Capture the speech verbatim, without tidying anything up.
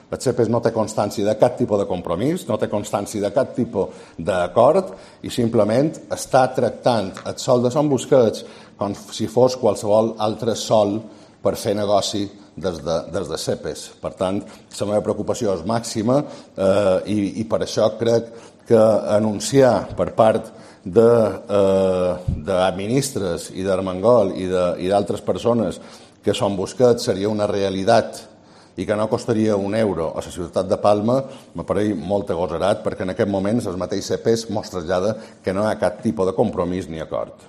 El CEPES no té constància de cap tipus de compromís, no té constància de cap tipus d'acord i simplement està tractant el sòl de Sant Busquets com si fos qualsevol altre sòl per fer negoci des de, des de CEPES. Per tant, la meva preocupació és màxima eh, i, i per això crec que anunciar per part de, eh, de ministres i d'Armengol i d'altres persones que Sant Busquets seria una realitat i que no costaria un euro a la ciutat de Palma m'apareix molt agosarat perquè en aquest moment el mateix CEPES mos trasllada que no hi ha cap tipus de compromís ni acord.